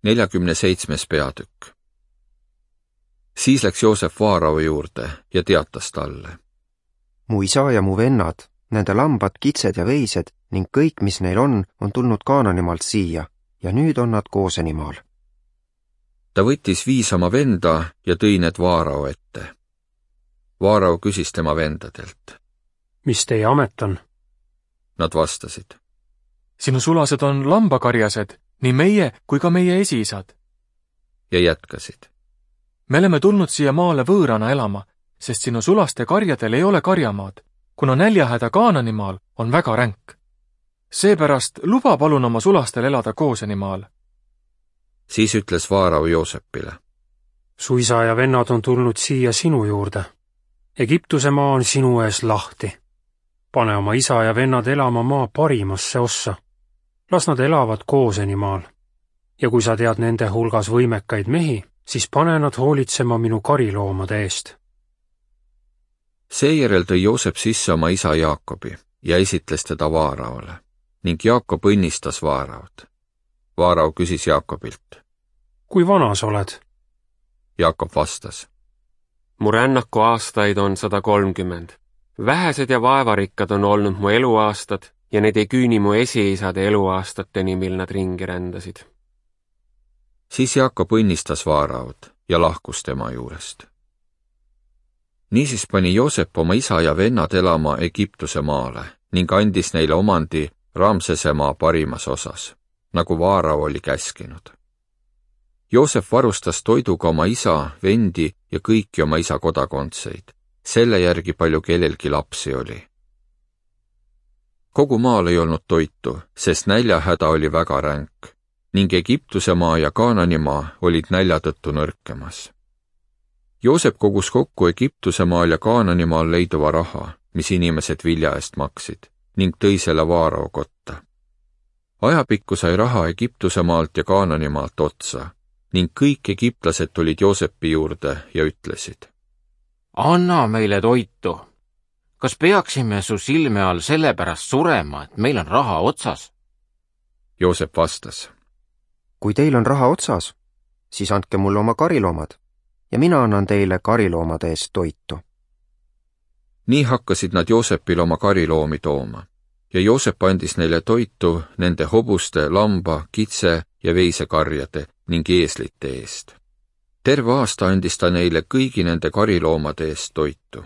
47. peatükk. Siis läks Joosep Vaarao juurde ja teatas talle. Mu isa ja mu vennad, nende lambad, kitsed ja veised ning kõik, mis neil on tulnud Kaananimaalt siia ja nüüd on nad Goosenimaal. Ta võttis 5 oma venda ja tõi need Vaarao ette. Vaarao küsis tema vendadelt. Mis teie amet on? Nad vastasid. Sinu sulased on lambakarjased, nii meie kui ka meie esiisad. Ja jätkasid. Me oleme tulnud siia maale võõrana elama, sest sinu sulaste karjadel ei ole karjamaad, kuna näljahäda Kaananimaal on väga ränk. Seepärast luba palun oma sulastel elada Goosenimaal. Siis ütles Vaarao Joosepile. Su isa ja vennad on tulnud siia sinu juurde. Egiptuse maa on sinu ees lahti. Pane oma isa ja vennad elama maa parimasse ossa. Las nad elavad Goosenimaal. Ja kui sa tead nende hulgas võimekaid mehi, siis pane nad hoolitsema minu kariloomade eest. Seejärel tõi Joosep sisse oma isa Jaakobi ja esitles teda Vaaraole ning Jaakob õnnistas Vaaraod. Vaarao küsis Jaakobilt. Kui vana sa oled? Jaakob vastas. Mu rännaku aastaid on 130. Vähesed ja vaevarikkad on olnud mu eluaastad ja need ei küüni mu esiisade eluaastateni, mil nad ringi rändasid. Siis Jaakob õnnistas Vaaraod ja lahkus tema juurest. Niisiis pani Joosep oma isa ja vennad elama Egiptuse maale ning andis neile omandi Ramsese maa parimas osas, nagu Vaarao oli käskinud. Joosep varustas toiduga oma isa, vendi ja kõiki oma isa kodakondseid, selle järgi palju kellelgi lapsi oli. Kogu maal ei olnud toitu, sest näljahäda oli väga ränk ning Egiptuse maa ja Kaananimaa olid nälja tõttu nõrkemas. Joosep kogus kokku Egiptuse maal ja Kaananimaal leiduva raha, mis inimesed vilja eest maksid, ning tõi selle Vaarao kotta. Ajapikku sai raha Egiptuse maalt ja Kaananimaalt otsa ning kõik egiptlased tulid Joosepi juurde ja ütlesid. Anna meile toitu. Kas peaksime su silme all sellepärast surema, et meil on raha otsas? Joosep vastas. Kui teil on raha otsas, siis andke mulle oma kariloomad ja mina annan teile kariloomade eest toitu. Nii hakkasid nad Joosepil oma kariloomi tooma ja Joosep andis neile toitu nende hobuste, lamba, kitse ja veisekarjade ning eeslite eest. Terve aasta andis ta neile kõigi nende kariloomade eest toitu.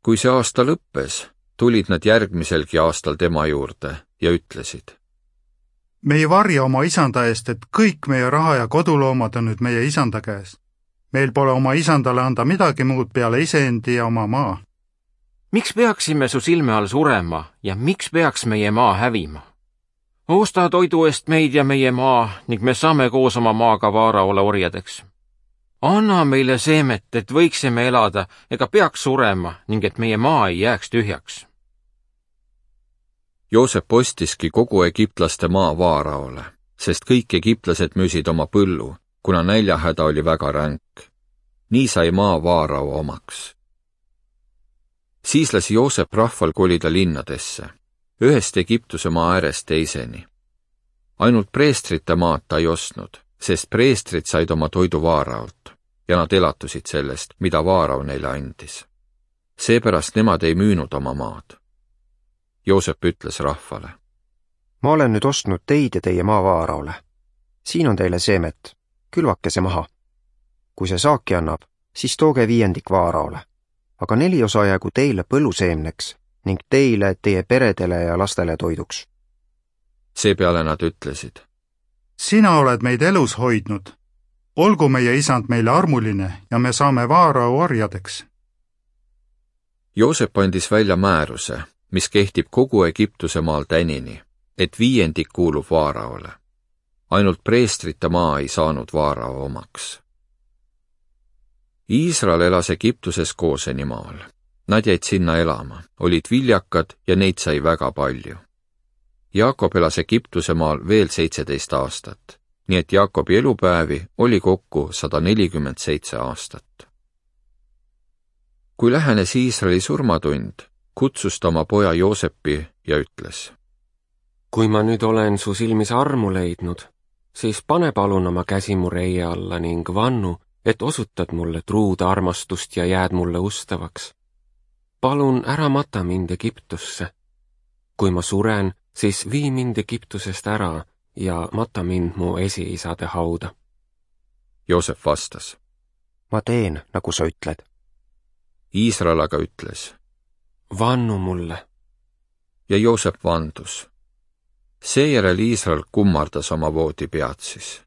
Kui see aasta lõppes, tulid nad järgmiselgi aastal tema juurde ja ütlesid. Me ei varja oma isanda eest, et kõik meie raha ja koduloomad on nüüd meie isanda käes. Meil pole oma isandale anda midagi muud peale iseendi ja oma maa. Miks peaksime su silme all surema ja miks peaks meie maa hävima? Osta toidu eest meid ja meie maa ning me saame koos oma maaga Vaaraole orjadeks. Anna meile seemet, et võiksime elada ega peaks surema ning et meie maa ei jääks tühjaks. Joosep ostiski kogu egiptlaste maa Vaaraole, sest kõik egiptlased müüsid oma põllu, kuna näljahäda oli väga ränk. Nii sai maa Vaarao omaks. Siis lasi Joosep rahval kolida linnadesse, ühest Egiptuse maa äärest teiseni. Ainult preestrite maad ta ei ostnud, sest preestrid said oma toidu Vaaraolt ja nad elatusid sellest, mida Vaarao neile andis. Seepärast nemad ei müünud oma maad. Joosep ütles rahvale. Ma olen nüüd ostnud teid ja teie maa Vaaraole. Siin on teile seemet, külvake see maha. Kui see saaki annab, siis tooge 5 Vaaraole, aga 4 osa jäägu teile põlluseemneks ning teile, teie peredele ja lastele toiduks. Seepeale nad ütlesid. Sina oled meid elus hoidnud. Olgu meie isand meile armuline ja me saame Vaarao orjadeks. Joosep andis välja määruse, mis kehtib kogu Egiptuse maal tänini, et 5 kuulub Vaaraole. Ainult preestrite maa ei saanud Vaarao omaks. Iisrael elas Egiptuses Goosenimaal. Nad jäid sinna elama, olid viljakad ja neid sai väga palju. Jaakob elas Egiptuse maal veel 17 aastat, nii et Jaakobi elupäevi oli kokku 147 aastat. Kui lähenes Iisraeli surmatund, kutsus ta oma poja Joosepi ja ütles. Kui ma nüüd olen su silmis armu leidnud, siis pane palun oma käsi mu reie alla ning vannu, et osutad mulle truud armastust ja jääd mulle ustavaks. Palun ära mata mind Egiptusse. Kui ma suren, siis vii mind Egiptusest ära ja mata mind mu esiisade hauda. Joosep vastas. ma teen, nagu sa ütled. Iisrael aga ütles. Vannu mulle. Ja Joosep vandus. Seejärel Iisrael kummardas oma voodipead siis.